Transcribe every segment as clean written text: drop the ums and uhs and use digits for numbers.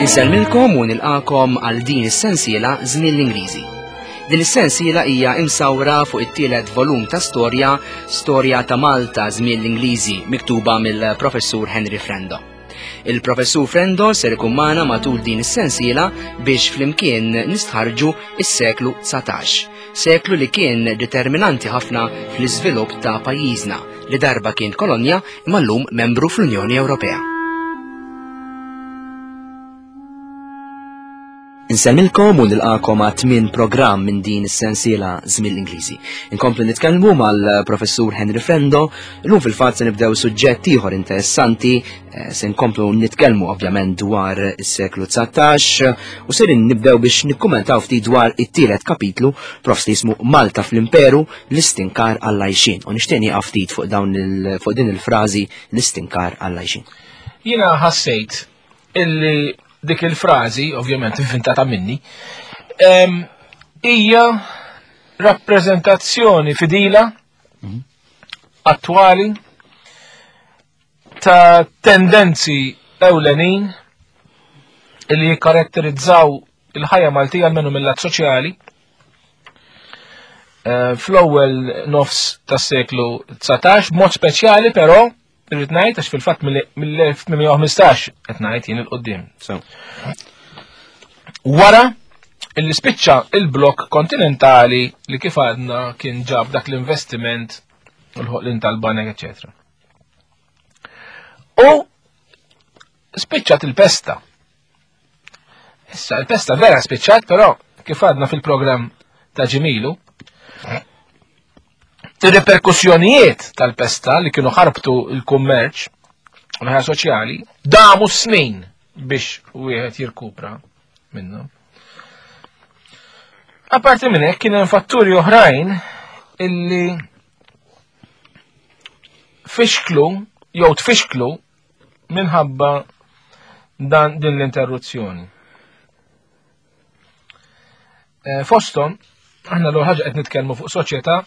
Insellmilkom u nilqakom għal din is-sensiela Żmien l-Ingliżi. Din is-sensiela hija imsawra fuq it-tielet volum ta' storja, Storja ta' Malta Żmien l-Ingliżi, miktuba mill-Professur Henry Frendo. Il-Professur Frendo ser ikun magħna matul din is-sensiela biex flimkien nistħarġu is-seklu 19, seklu li kien determinanti ħafna fl-iżvilupp ta' pajjiżna li darba kien kolonja imma llum membru fl-Unjoni Ewropea. Insemmilkom u nilqakom għat tmien programm minn din is-sensiela Żmien l-Ingliżi. Inkomplu nitkellmu mal-Professur Henry Frendo, illum fil-fatt se nibdew suġġett ieħor interessanti, eh, se nkomplu nitkellmu ovvjament dwar is-seklu 19 u ser nibdew biex nikkumentaw ftit dwar it-tielet kapitlu profs li jismu Malta fl-Imperu l-istinkar għall-għajxien. U nixtieq nieqaf ftit fuq dawn fuq din il-frażi l-istinkar għall-għajxien. Jiena ħassejt illi dik il-frażi, ovvjament inventata minni, hija rappreżentazzjoni fidila mhm. attwali ta' tendenzi ewlenin li jikkaratterizzaw il-ħajja Maltija almenu mill-lat soċjali eh, fl-ewwel nofs tas-seklu 19, b'mod speċjali però Irrid ngħid għax fil-fatt mill-1815 qed ngħid jien il-qudiem. Wara illi spiċċa il-blok kontinentali li kif għadna kien ġab dak l-investiment u l-ħoqlin tal-banek, eccetera. U spiċċat il-pesta. Issa, il-pesta vera spiċċat, però kif għadna fil-programm ta' ġimilu, Ir-reperkussjonijiet tal-pesta li kienu ħarbtu l-kummerċ u l-ħajja soċjali damu snin biex wieħed jirkupra minnhom. Apparti minn hekk kien hemm fatturi oħrajn illi fixklu jew tfixklu minħabba dan din l-interruzzjoni. Eh, fosthom, aħna l ħaġa qed nitkellmu fuq soċjetà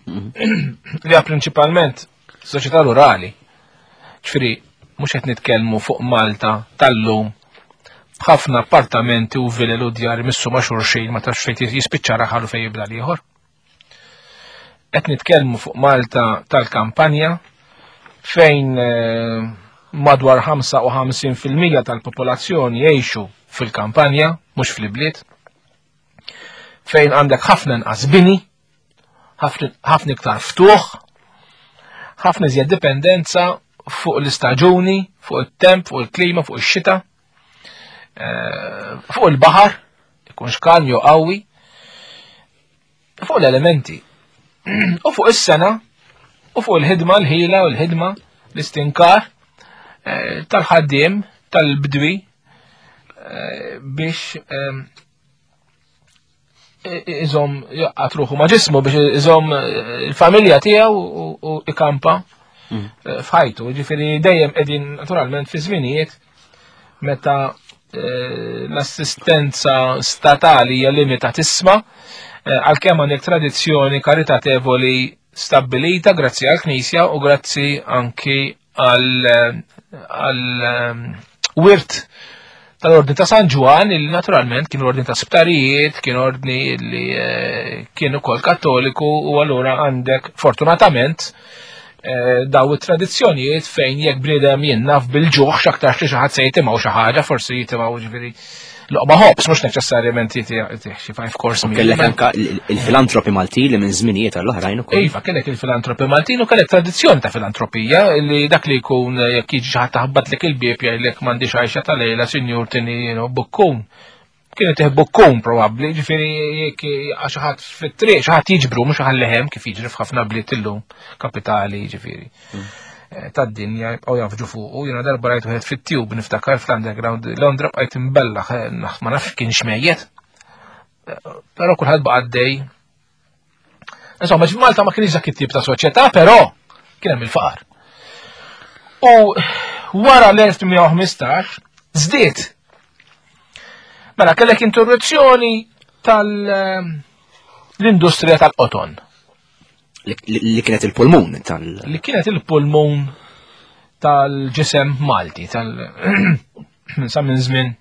mhm. li hija prinċipalment soċjetà rurali. Ġifieri mhux qed nitkellmu fuq Malta tal-lum b'ħafna appartamenti u vilel u djar missu ma' xulxin ma tafx fejn jispiċċa raħal u fejn jibda l-ieħor. Qed nitkellmu fuq Malta tal-kampanja fejn eh, madwar 55% tal-popolazzjoni jgħixu fil-kampanja, mhux fl-ibliet, fejn għandek ħafna inqas bini, ħafna iktar ftuħ, ħafna iżjed dipendenza fuq l-istaġuni, fuq it-temp, fuq il-klima, fuq ix-xita, eh, fuq il-baħar, ikun xkalm jew qawwi, fuq l-elementi u fuq is-sena u fuq il-ħidma l-ħila u l-ħidma l-istinkar eh, tal-ħaddiem tal-bdwi eh, biex eh, iżom jaqqat ruħu ma' ġismu biex iżom il-familja tiegħu u ikampa mm. f'ħajtu. Ġifieri dejjem qegħdin naturalment fi żminijiet meta eh, l-assistenza statali hija limitatissma, eh, għalkemm għandek tradizzjoni karitatevoli stabbilita grazzi għall-Knisja u grazzi anki għal eh, wirt tal-Ordni ta' San Ġwan illi naturalment kien ordni ta' sptarijiet, kien ordni li kien ukoll kattoliku u allura għandek fortunatament Eh, daw it-tradizzjonijiet fejn jekk bniedem jinnaf bil-ġuħ x'aktarx li xi ħadd se jitimgħu xi ħaġa, forsi jitimgħu ġifieri loqma ħobs, mhux neċessarjament jitih xi five course meal. Kellek anka il-filantropi Maltin li minn żminijiet għall-oħrajn ukoll. Iva, kellek il-filantropi Maltin u kellek tradizzjoni ta' filantropija li dak li jkun jekk jiġi xi ħadd taħbatlek il-bieb jgħidlek m'għandix għajxa ta' lejla sinjur tini bukkun. Kienu tih bukkun probabbli, ġifieri jekk xi ħadd fit-triq, xi ħadd jiġbru mhux ħallihem kif jiġri f'ħafna bliet illum kapitali ġifieri. Mm. Eh, tad-dinja jibqgħu jafġu fuqu, jiena darba rajt wieħed fit-tube niftakar fl-underground Londra bqajt imbellaħ eh, ma nafx kien xmejjet. Eh, però kulħadd baqa' għaddej Insomma, Malta ma kienx dak it-tip ta' soċjetà, però kien hemm il-faqar. U wara l-1815 żdied. Mela kellek interruzzjoni tal-industrija tal-qoton. Li kienet il-pulmun tal- Li kienet il-pulmun. tal-ġisem Malti, tal sa minn żmien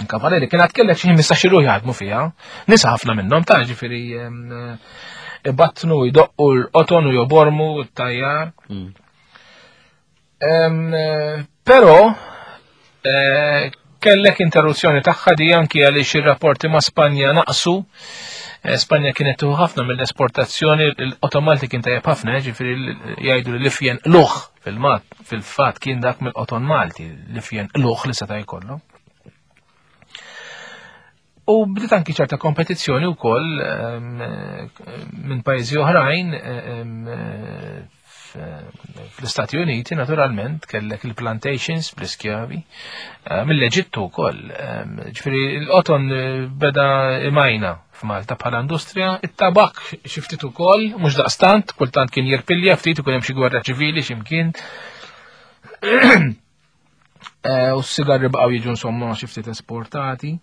Kavaleri, kien għad kellek xi 15 ruħ jaħdmu fiha, nisa ħafna minnhom ta' ġifieri ibattnu, jdoqqu l-qoton u jobormu t-tajjar. Però eh, kellek interruzzjoni tagħha di anki għaliex ir-rapporti ma' Spanja naqsu. Eh, Spanja kienet tuħu ħafna mill-esportazzjoni, l-qoton Malti kien tajjeb ħafna, eh, ġifieri jgħidu li l-ifjen luħ fil-mat, fil-fatt kien dak mill-qoton Malti, l-ifjen luħ li seta' jkollu. U bdiet anki ċerta kompetizzjoni wkoll ehm, minn pajjiżi oħrajn ehm, fl-Istati Uniti naturalment kellek il-plantations bl-iskjavi eh, mill-Eġittu wkoll. Ehm, ġifieri l-qoton eh, beda imajna f'Malta bħala industrija, it-tabak xi ftit ukoll, mhux daqstant, kultant kien jirpilja ftit ikun hemm xi gwerra ċivili x'imkien. Eh, u s-sigarri baqgħu jiġu insomma xi ftit esportati.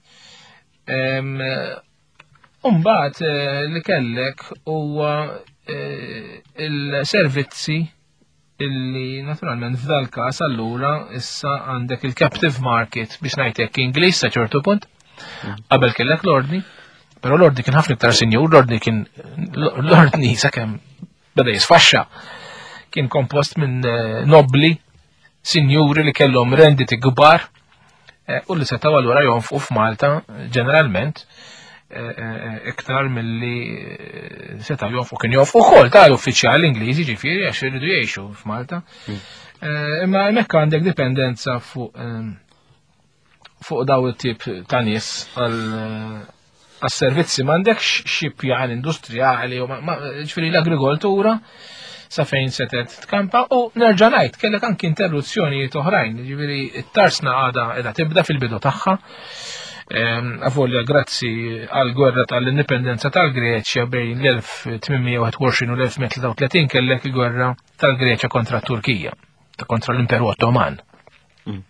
Umbagħad eh, li kellek huwa eh, il-servizzi illi naturalment f'dal każ allura issa għandek il-captive market biex ngħidlek Ingliż sa ċertu punt. Mm. Qabel kellek l-ordni, però l-ordni kien ħafna iktar sinjur, l-ordni kien l-ordni sakemm beda jisfaxxa kien kompost minn eh, nobli sinjuri li kellhom renditi kbar eh, u li setgħu allura jonfqu f'Malta ġeneralment eh, eh, iktar milli setgħu jonfqu kien jonfqu wkoll ta' l-uffiċjali Ingliżi ġifieri għax iridu jgħixu f'Malta. Hmm. Imma hemmhekk għandek dipendenza fuq fuq daw it-tip ta' nies għal għas-servizzi m'għandekx xi pjan industrijali u ġifieri l-agrikoltura sa fejn setet tkampa u nerġa' ngħid kellek anki interruzzjonijiet oħrajn, ġifieri t-tarsna għadha qiegħda tibda fil-bidu tagħha. Ehm, avolja grazzi għal gwerra tal-indipendenza tal-Greċja bejn l-1821 u l-1933 kellek il-gwerra tal-Greċja kontra t-Turkija, kontra l-Imperu Ottoman. Mm.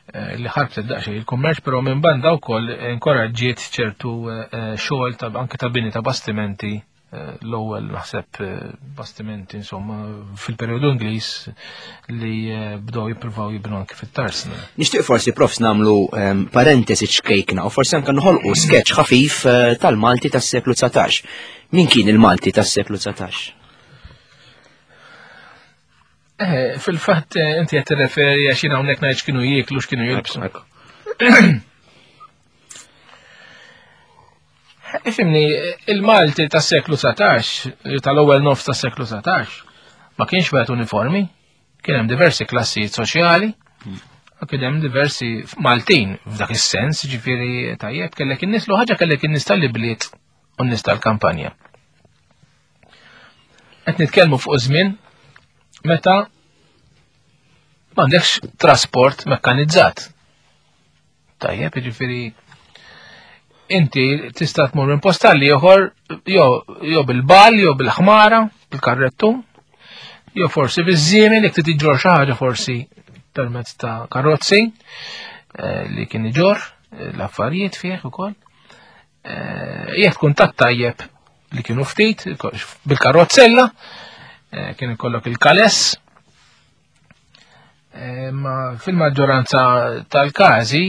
Eh, li ħarbtet daqsxejn il-kummerċ, però minn banda wkoll inkoraġġiet ċertu eh, eh, xogħol ta' anke ta' bini ta' bastimenti l-ewwel naħseb bastimenti insomma fil-perjodu Ingliż li bdew jippruvaw jibnu anke fit-tarsna. Nixtieq forsi profs nagħmlu ehm, parentesi ċkejkna u forsi anke noħolqu sketch ħafif tal-Malti tas-seklu 19. Min kien il-Malti tas-seklu 19? Eh, fil-fatt eh, inti qed tirreferi għax jien hawnhekk ngħid x'kienu jieklu x'kienu jilbsu. Ifimni, il-Malti tas-seklu 19, tal-ewwel nofs tas-seklu 19, ma kienx wieħed uniformi, kien hemm diversi klassijiet soċjali, u kien hemm diversi Maltin f'dak is-sens, ġifieri tajjeb kellek in-nies l ħaġa kellek in-nies tal-ibliet u n-nies tal-kampanja. Qed nitkellmu fuq żmien meta m'għandekx trasport mekkanizzat. Tajjeb, jiġifieri inti tista' tmur minn post għal ieħor jew bil-bal, jew bil-ħmara, bil-karrettu, jew forsi biż-żiemel jekk trid iġġor xi ħaġa forsi permezz ta' karozzi eh, li kien iġor eh, l-affarijiet fih ukoll. Eh, jekk tkun tat tajjeb li kienu ftit bil-karozzella, eh, kien ikollok il-kales, eh, ma fil-maġġoranza tal-każi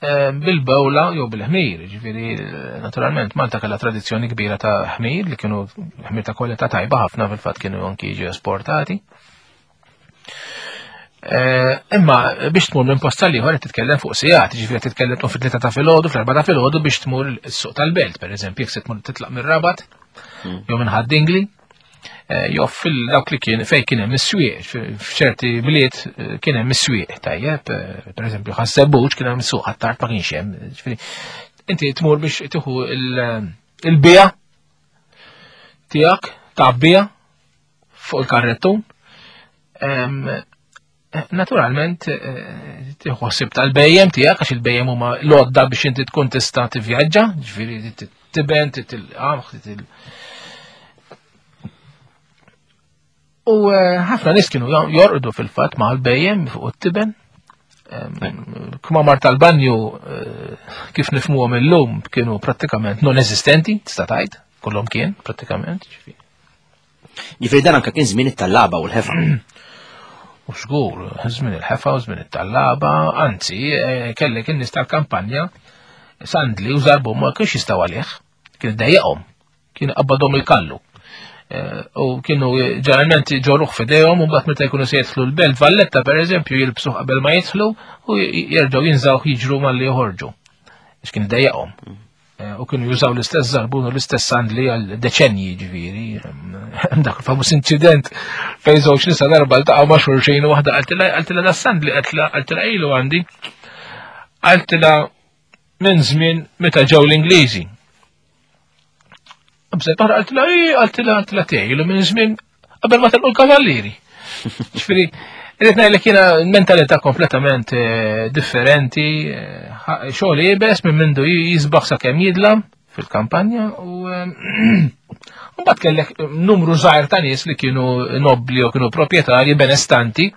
bil-bewla jew bil-ħmir, ġifieri naturalment Malta kellha tradizzjoni kbira ta' ħmir li kienu ħmir ta' kwalità tajba ħafna fil-fatt kienu anki jiġu esportati. Eh, imma biex tmur minn post tal-ieħor qed titkellem fuq sigħat, ġifieri qed titkellem tmur fit-tlieta ta' filgħodu, fl-erba' ta' filgħodu biex tmur is-suq tal-belt, pereżempju, jekk se tmur titlaq mir-Rabat hmm. jew minn Ħad-Dingli, eh, jew fil-dawk li kien fejn kien hemm is-swieq, f'ċerti bliet eh, kien hemm is-swieq tajjeb, pereżempju ħassebbuġ kien hemm is-suq ħattart ma kienx hemm. Ġifieri inti tmur biex tieħu il-bija tiegħek tgħabbija fuq il-karrettun. Naturalment, eh, tieħu tal-bejjem tiegħek għax il-bejjem huma l-għodda biex inti tkun tista' tivvjaġġa, ġifieri tiben, titil-qamħ, titil. U eh, ħafna nies kienu jorqdu fil-fatt ma' l-bejjem fuq it-tiben. Kmamar tal-banju eh, kif nifmuhom illum kienu prattikament non eżistenti, tista' tgħid, kollhom kien prattikament, ġifieri. Ġifieri dan anke kien żmien it-tallaba u l-ħefa. U żgur, żmien il-ħefa u żmien it-tallaba, anzi, eh, kellek in-nies tal-kampanja sandli u żarbun ma kienx jistgħu għalih, kien dejjaqhom, kien qabbadhom il-kallu. Eh, u kienu ġeneralment ġorruh f'idejhom u mbagħad meta jkunu se jidħlu l-belt Valletta pereżempju jilbsuh qabel ma jidħlu u jerġgħu jinżawh jiġru malli joħorġu. Għax kien dejjaqhom. Eh, u kienu jużaw l-istess zarbun u l-istess sandli għal deċenji ġifieri. Dak il-famuż inċident fejn żewġ nisa darba ltaqgħu ma' xulxin u waħda qaltilha qaltilha da sandli qaltilha ilu għandi. Qaltilha minn żmien meta ġew l-Ingliżi. Bżet oħra qaltilha qaltilha qaltilha tiegħi ilu minn żmien qabel ma telqu l-kavallieri. Ġifieri, irrid ngħidlek jiena mentalità kompletament eh, differenti, eh, xogħol iebes minn mindu jisbaħ sakemm jidlam fil-kampanja u eh, mbagħad kellek numru żgħir ta' nies li kienu nobbli u kienu proprjetarji benestanti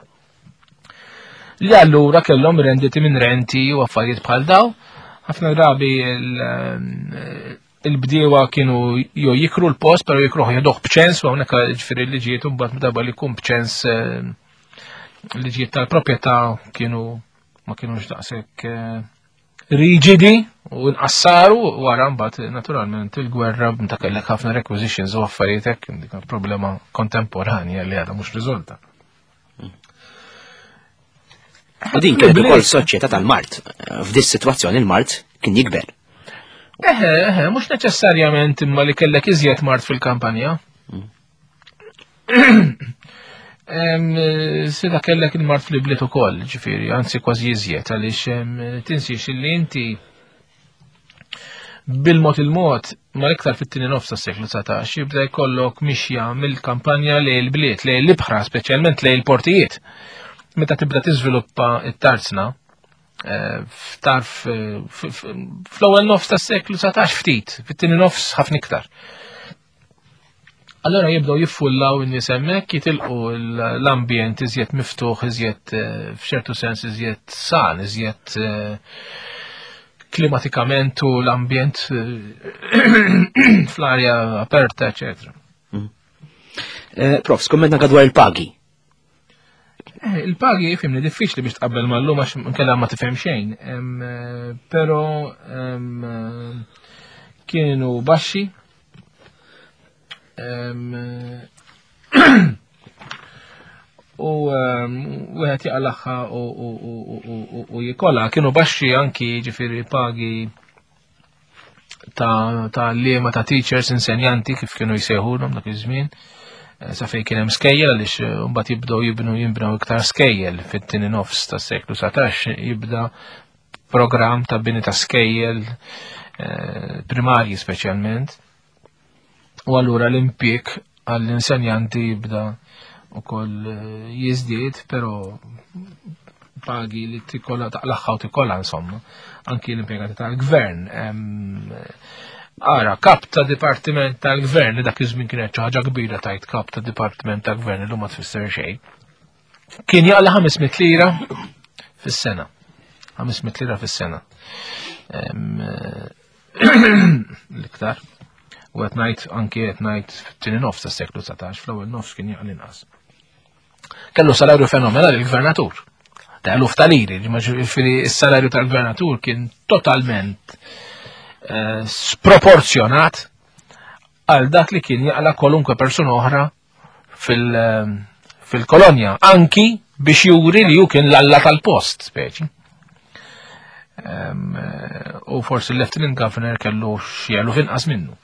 li allura kellhom renditi minn renti u affarijiet bħal daw. Ħafna drabi il-bdiewa kienu jew jikru l-post, pero jikruh jaduh b'ċens, u hawnhekk ġifieri liġijiet imbagħad meta li jkun b'ċens eh, liġijiet tal-proprjetà kienu ma kienux daqshekk eh, riġidi u nqassaru wara mbagħad naturalment il-gwerra meta kellek ħafna requisitions u affarijiet hekk dik problema kontemporanja li għadha mhux riżolta. U din kienet ukoll soċjetà tal-mart. F'dis sitwazzjoni il-mart kien jikber. Eħe, eħe, mhux neċessarjament imma li kellek iżjed mart fil-kampanja. Sida kellek il-mart fl-ibliet ukoll, ġifieri, anzi kważi iżjed għaliex tinsiex li inti bil-mod il-mod, ma iktar fit-tieni nofs tas-seklu 19, jibda jkollok mixja mill-kampanja lejn il-bliet, lejn l-ibħra, speċjalment lejn il-portijiet. Meta tibda tiżviluppa it-tarzna, eh, f'tarf eh, fl-ewwel nofs tas-seklu 19 ftit, fit-tieni nofs ħafna iktar. Allora jibdew jiffullaw in-nies hemmhekk jitilqu l-ambjent iżjed miftuħ, iżjed eh, f'ċertu sens iżjed san, iżjed eh, klimatikament u l-ambjent eh, fl-arja aperta, eċetera. Mm. Prof, skumment anka dwar il-pagi. Eh, il-pagi fimni diffiċli biex tqabbel mal-lum għax nkella ma tifhem xejn. Eh, però eh, kienu baxxi. U wieħed jaqlaħħa u jikola kienu baxxi anki ġifieri pagi ta' ta' liema ta' teachers, insenjanti kif kienu jsejħulhom dak iż-żmien. Eh, sa fejn kien hemm skejjel għaliex eh, mbagħad jibdew jibnu jinbnew iktar skejjel fit-tieni nofs tas-seklu 19 jibda programm ta' bini ta' skejjel eh, primarji speċjalment. U allura l-impjieg għall-insenjanti jibda ukoll eh, jiżdied, però pagi li tikolla taqlaħħa u tikolla insomma, anki l-impjegati tal-gvern. Ara, kap ta' dipartiment tal-gvern, li dak iż-żmien kienet xi ħaġa kbira tajt kap ta' dipartiment tal-gvern li ma tfisser xejn. Kien jaqla 500 lira fis-sena. 500 lira fis-sena. L-iktar. U qed ngħid anki qed ngħid fit-tieni nofs tas-seklu 19, fl-ewwel nofs kien jaqli inqas. Kellu salarju fenomenali l-gvernatur. Ta' eluf ta' liri, ġifieri s-salarju tal-gvernatur kien totalment eh, sproporzjonat għal dak li kien jaqla kwalunkwe persuna oħra fil-kolonja, anki biex juri li ju kien l-alla tal-post, speċi. U forsi l-Lieutenant Governor kellu xjelu finqas minnu.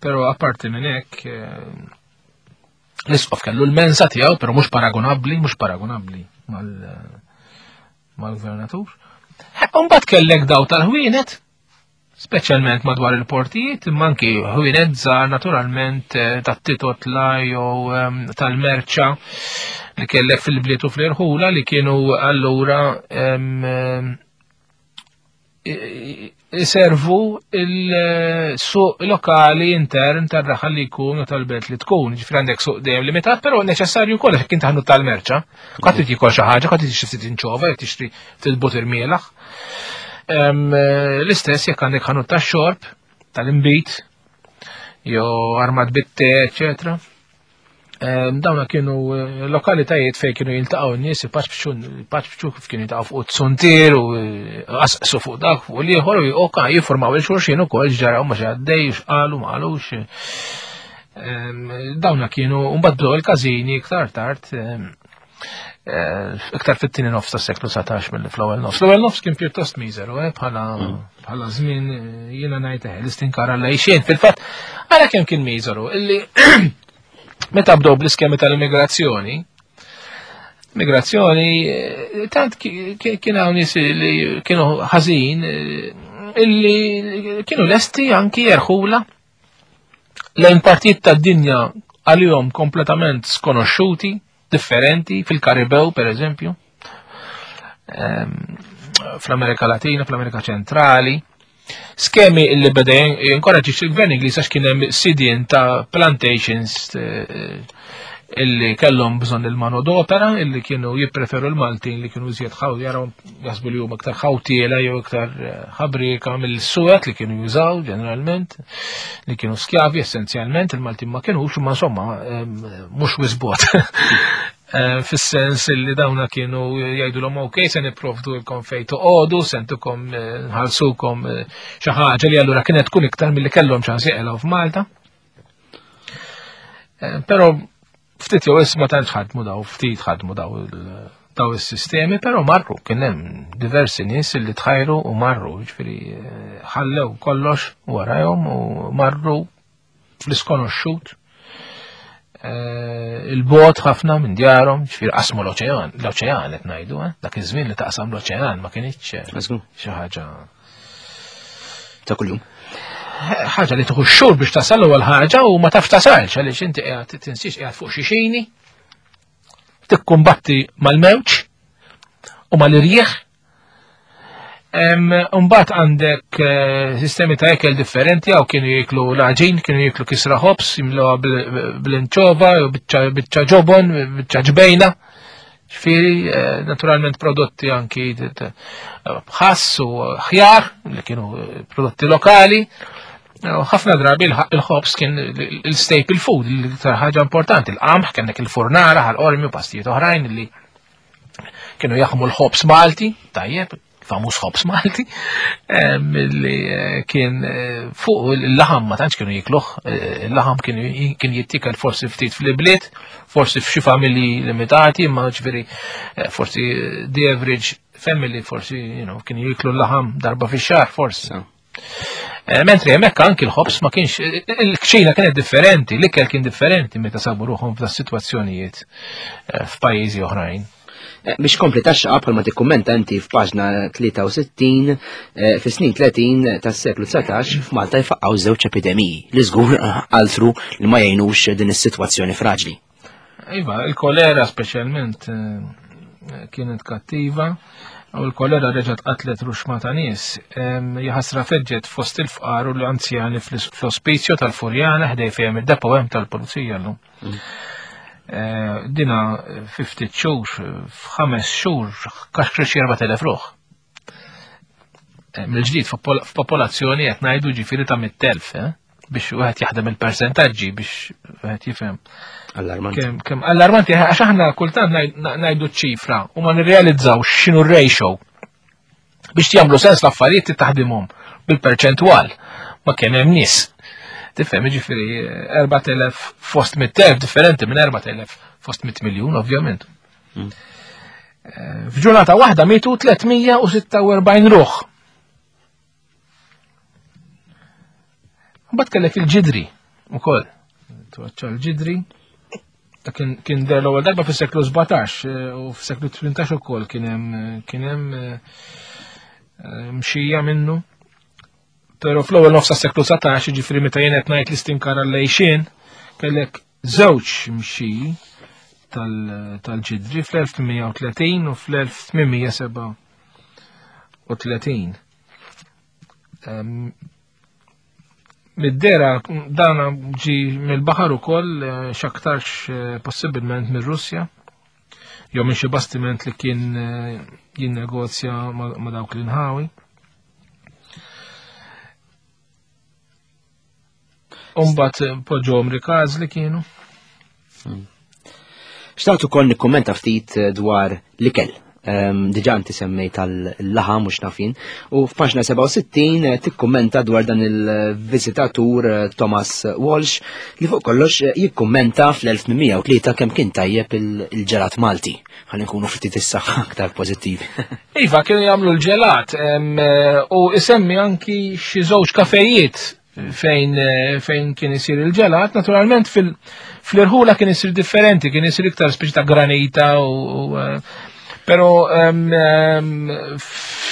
Pero apparti minn hekk, l-isqof kellu l-mensa tiegħu, pero mhux paragonabbli, mhux paragonabbli mal-gvernatur. Mbagħad kellek daw tal-ħwienet, speċjalment madwar il-portijiet, imma anki ħwienet żgħar naturalment eh, tat-titotla jew ehm, tal-merċa li kellek fil-bliet u fl-irħula li kienu allura ehm, iservu il-suq lokali intern tar-raħal li jkun u tal-belt li tkun. Ġifri għandek suq dejjem limitat, però neċessarju wkoll jekk inti ħanut tal-merċa. Qatt trid jikol xi ħaġa, qatt trid xi ftit inċova, jekk tixtri ftit butir mielaħ. Eh, l-istess jekk għandek ħanut tax-xorb, tal-imbit, jew armat bit-te, eċetera. Dawna kienu eh, lokalitajiet fejn kienu jiltaqgħu n-nies ipaċbċu kif kienu jiltaqgħu fuq it-suntier u eh, qasqsu fuq dak fuq l-ieħor u oka jiffurmaw il-xulxin ukoll x'ġaraw ma x'għaddej x'qalu ma qalux. Dawna kienu mbagħad bdew il-każini iktar tard eh, iktar fit-tieni nofs tas-seklu 19 mill fl-ewwel nofs. L-ewwel nofs kien pjuttost miżeru, bħala mm. bħala żmien jiena ngħid l-istinkara lejxien. Fil-fatt, għala kemm kien miżeru illi Meta bdew bl-iskemi tal-immigrazzjoni, migrazzjoni, eh, tant kien hawn nies li kienu ħażin eh, illi kienu lesti anki jerħula lejn partijiet tad-dinja għalihom kompletament skonoxxuti, differenti, fil-Karibew per eżempju, ehm, fl-Amerika Latina, fl-Amerika Ċentrali. Skemi illi beda jinkoraġġi il-gvern Ingliż għax kien hemm sidien ta' plantations eh, illi kellhom bżonn il-mano d'opera illi kienu jippreferu l-Maltin li kienu iżjed ħaw jaraw jaħsbu li huma iktar ħawtiela jew iktar eh, ħabrika mill-suwed li kienu jużaw ġeneralment li kienu skjavi essenzjalment il-Maltin ma kienux imma insomma eh, mhux wisbot. Eh, fis-sens li dawna kienu jgħidulhom ok se nipprovdu lkom fejn toqogħdu, se ntukom eh, nħallsukom eh, xi ħaġa li allura kienet tkun iktar milli kellhom ċans jeqilgħu f'Malta. Però ftit jew isma tantx ħadmu daw, ftit ħadmu daw daw is-sistemi, però marru kien hemm diversi nies li tħajru u marru, ġifieri ħallew kollox warajhom u marru fl-iskonoxxut eh, il-bot ħafna minn djarhom, ġifier qasmu l-oċean, l-oċean qed ngħidu, eh? dak iż-żmien li taqsam l-oċean ma kienx eh, xi ħaġa ta' kuljum. Ħaġa li tieħu xhur biex tasal l-ewwel ħaġa u ma tafx tasalx għaliex inti qiegħed tinsiex qiegħed fuq xi xini tikkumbatti mal-mewġ u mal-irjieħ Umbat għandek eh, sistemi ta' ekel differenti, għaw kienu jiklu l-għaġin, kienu jiklu kisra ħobs, jimluha bl-inċova, bicċa ġobon, bicċa ġbejna. Ġifieri, eh, naturalment prodotti anki ħass u ħjar, li kienu eh, prodotti lokali. Ħafna drabi il-ħobs kien il-staple food, l-iktar ħaġa importanti, il-qamħ, kellek il-furnara, ħal-qormi u pastijiet oħrajn li kienu jaħmu l-ħobs Malti, tajjeb, famuż ħobs Malti, li eh, kien eh, fuq il-laħam ma tantx kienu jikluh, eh, il-laħam kien jittikel forsi ftit fl-ibliet, forsi f'xi familji limitati, ma ġifieri forsi the average family forsi you know, kienu jiklu l-laħam darba fix-xahar forsi. Eh, mentri hemmhekk anki l-ħobs ma kienx il-kċina kienet differenti, l-ikel kien differenti meta sabu ruħhom f'da sitwazzjonijiet eh, f'pajjiżi oħrajn. Eh, biex kompli taxxa bħal ma tikkummenta inti f'paġna 63 fis-snin 30 tas-seklu 19 f'Malta jfaqqgħu żewġ epidemiji li żgur altru li ma jgħinux din is-sitwazzjoni fraġli. Iva, il-kolera speċjalment eh, kienet kattiva u l-kolera reġgħet qatlet ruxma ta' nies. Jaħasra feġġet fost il-fqar u l-anzjani fl-ospizju tal-Furjana ħdej fejn id-depo hemm tal-pulizija llum. Mm. Eh, dina 50 xhur, f'ħames xhur kaxkri xi 4000 ruħ. Eh, mill-ġdid f'popolazzjoni qed ngħidu ġifieri ta' mit-telf, eh? biex wieħed jaħdem il-persentaġġi biex wieħed jifhem. Allarmanti. Kemm kemm allarmanti għax aħna kultant ngħidu ċifra u ma nirrealizzaw x'inhu r-ratio. Biex jagħmlu sens l-affarijiet taħdimhom bil-perċentwal ma kemm hemm nies. Tifhem jiġifieri 4000 eh, fost 100,000 differenti minn 4000 fost 100 miljun ovvjament. Mm. Eh, f'ġurnata waħda mietu 346 ruħ. Mbagħad kellek il-ġidri ukoll. Twaċċa l-ġidri. Ta' kien der l-ewwel darba fis-seklu 17 eh, u fis-seklu 18 ukoll kien hemm kien hemm eh, mxija minnu. Però fl-ewwel nofs tas-seklu 19, jiġifieri meta jien qed ngħid l-istinkar għall-għejxien, kellek żewġ mxi tal-ġidri fl-1830 u fl-1837. Mid-dera dan ġi mill-baħar ukoll eh, x'aktarx eh, possibilment mir-Russja jew minn xi bastiment li kien eh, jinnegozja ma' dawk l-inħawi. Umbat eh, poġġom rikaz li kienu. Hmm. Xtaqt ukoll nikkummenta ftit eh, dwar l-ikel. Ehm, diġà inti semmejt tal-laħam mhux nafin. U f'paġna 67 eh, tikkummenta dwar dan il-viżitatur eh, Thomas Walsh li fuq kollox eh, jikkummenta fl-1803 kemm kien tajjeb il-ġelat Malti. Ħalli nkunu ftit issa aktar pożittivi. Iva, kienu jagħmlu l-ġelat u isemmi anki xi żewġ kafejiet fejn eh, fejn kien isir il-ġelat, naturalment fil-irħula kien isir differenti, kien isir iktar speċi ta' granita u eh, pero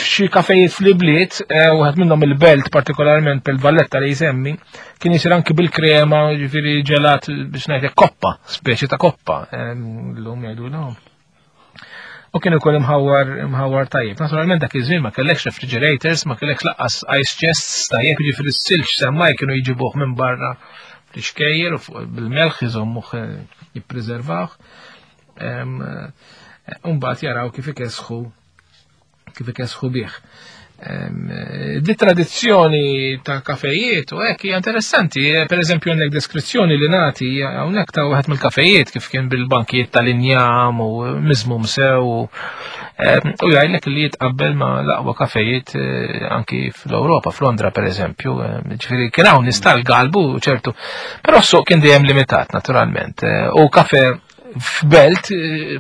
xi kafejiet fl-ibliet, eh, wieħed minnhom il-belt partikolarment pel Valletta li jsemmi, kien isir anki bil-krema, ġifieri ġelat biex ngħidlek koppa, speċi ta' koppa, llum jgħidulhom. U kien ukoll imħawwar imħawwar tajjeb. Naturalment dak iż-żmien ma kellekx refrigerators, ma kellekx laqqas ice chests tajjeb, jiġifieri s-silġ semmaj kienu jġibuh minn barra fl-ixkejjer u bil-melħ iżommuh eh, jippreservawh. Eh, mbagħad jaraw kif ikesħu kif ikesħu bih. Di tradizzjoni ta' kafejiet u hekk hija interessanti, eh, per eżempju għandek deskrizzjoni li nagħti hawnhekk ta' wieħed mill-kafejiet kif kien bil-bankijiet tal-injam u miżmum sew u jgħidlek li jitqabbel ma' l-aqwa kafejiet eh, anki fl-Ewropa, f'Londra per eżempju, ġifieri kien hawn nies tal-galbu ċertu, però s-suq kien dejjem limitat naturalment. Eh, u kafe f'belt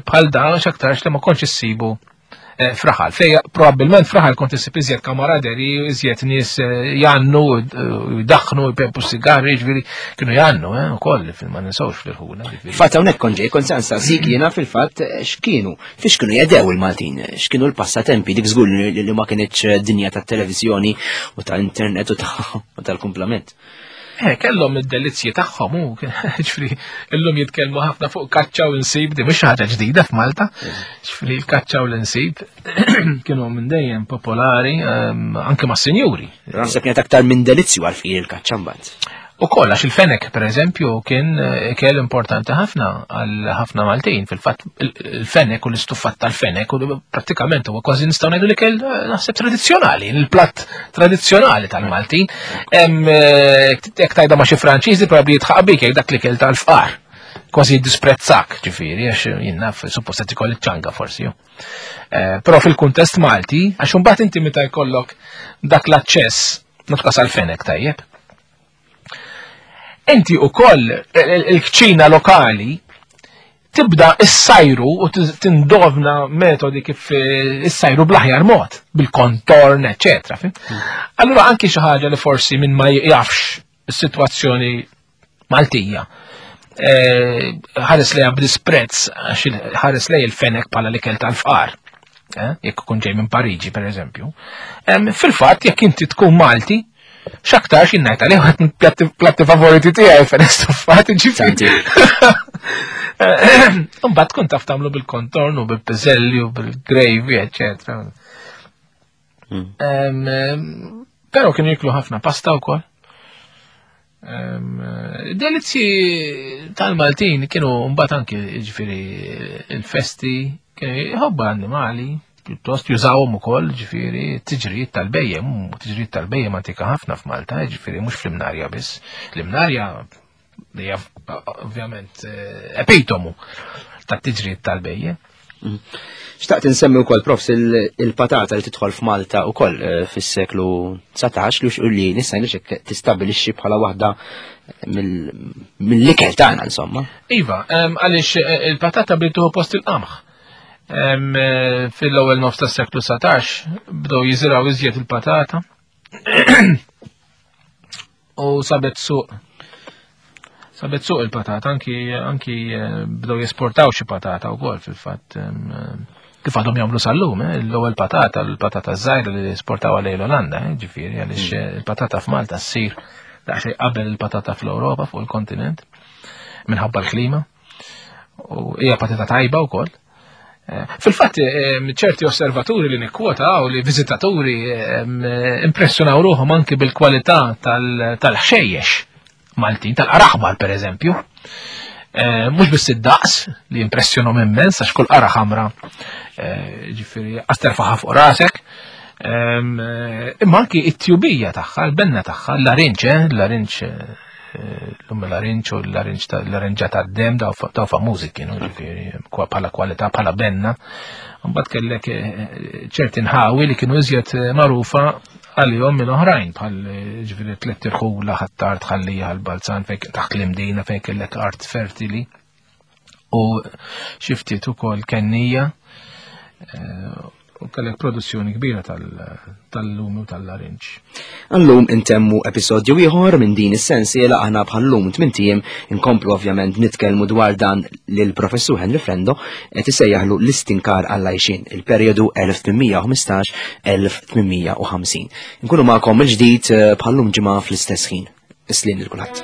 bħal dan x'aktarx li ma kontx issibu Eh, fraħal, fej probabbilment fraħal kont issib iżjed kamaraderi, iżjed nies eh, jannu, eh, jdaħħnu, jpempu sigarri, ġifieri kienu jannu, eh, ukoll ma ninsawx fl-irħula. Fatt hawnhekk kont ġej, kont se nsaqsik jiena fil-fatt x'kienu, fiex kienu jedew il-Maltin, x'kienu l-passatempi dik żgur li ma kinitx dinja tat-televiżjoni u ta' internet u tal-kumplament. Eh, kellhom id-delizzji tagħhom u ġifri illum jitkellmu ħafna fuq kaċċa u nsib di mhux ħaġa ġdida f'Malta. Ġifri l-kaċċa u l-insib kienu minn dejjem popolari ehm, anke ma' sinjuri. Naħseb kienet aktar minn delizzju għal il-kaċċa mbagħad. U koll, għax il-fenek, per eżempju, kien eh, ikel importanti ħafna għal ħafna Maltin. Fil-fatt, il-fenek u l-istuffat tal-fenek u prattikament huwa kważi nistgħu ngħidu l-ikel eh, naħseb tradizzjonali, il-platt tradizzjonali tal-Maltin. Eh, jekk tajda ma' xi Franċiżi probabbli jitħaq bik jekk dak l-ikel tal-fqar. Kważi jiddisprezzak, ġifieri, għax jien naf suppost qed ikoll ċanga forsi. Eh, però fil-kuntest Malti, għax imbagħad inti meta jkollok dak l-aċċess, nutqas għal-fenek tajjeb. Inti ukoll il-kċina lokali tibda issajru u tindovna metodi kif eh, issajru bl-aħjar mod, bil-kontorn, eccetera. Hmm. Allura anki xi ħaġa li forsi minn ma jafx is-sitwazzjoni Maltija. Eh, ħares lejha b'disprezz għax ħares lej il-fenek bħala l-ikel tal-fqar. Eh, jekk ikun ġej minn Pariġi, per eżempju. Fil-fatt, jekk inti tkun Malti, x'aktarx jien ngħid għalih wieħed platti favoriti tiegħi fenek stuffat, ġifieri. Imbagħad tkun taf tagħmlu bil-kontorn u bil-piżelli u bil-gravy, eċetera. Hmm. Però kienu jiklu ħafna pasta wkoll. Delizzi tal-Maltin kienu mbagħad anki ġifieri il-festi kienu jħobbu l-annimali, pjuttost jużawhom ukoll ġifieri tiġrijiet tal-bejjem, tiġrijiet tal-bejjem antika ħafna f'Malta, ġifieri mhux fl-Imnarja biss. L-Imnarja hija ovvjament eh, epitomu tat-tiġrijiet tal-bejjem. Mm. Xtaqt insemmi wkoll profs il-patata li tidħol f'Malta wkoll eh, fis-seklu 19 li li nista' ngħidlek tistabilixxi bħala waħda mill-ikel tagħna insomma. Iva, għaliex eh, il-patata bdiet post il-qamħ. Eh, fil-ewwel nofs tas-seklu 19 bdew jiżraw iżjed il-patata. U sabet suq. Sabet suq il-patata, anki, anki eh, bdew jesportaw xi patata wkoll fil-fatt. Eh, kif għadhom jagħmlu sal-lum, eh, l-ewwel patata, l-patata żgħira li esportaw għalej l-Olanda, ġifieri għaliex hmm. il-patata f'Malta ssir daqsxejn qabel il-patata fl-Ewropa fuq il-kontinent minħabba l-klima. U hija patata tajba wkoll. Eh, fil-fatt, eh, ċerti osservaturi li nikkwota u li viżitaturi eh, impressjonaw ruħhom anki bil-kwalità tal-ħxejjex Maltin, tal-qaraħmar per eżempju. Mhux biss id-daqs li impressjonhom immens għax kull qara ħamra ġifieri għasterfaħa fuq rasek. Imma anki it-tjubija tagħha, l-benna tagħha, l-larinċ, l-larinċ l-lum l-arinċ u l-arinġa ta' dem daw famużi kienu ġifieri bħala kwalità bħala benna. Mbagħad kellek eh, ċerti nħawi li kienu iżjed eh, magħrufa għalihom minn oħrajn bħal eh, ġifieri tliet irħula ħattart ħallija għal-balzan fejn taħt l-imdina fejn kellek art fertili u xi ftit ukoll kennija u kellek produzzjoni kbira tal-lumi u tal-larinġ. Għallum intemmu episodju ieħor minn din is-sensiela aħna bħallum tmintijiem inkomplu ovvjament nitkellmu dwar dan lil professur Henry Frendo qed isejjaħlu l-istinkar għall-għajxin il-perjodu 1815-1850. Nkunu magħkom il-ġdid eh, bħallum ġimgħa fl-istess ħin. Islin lil kulħadd.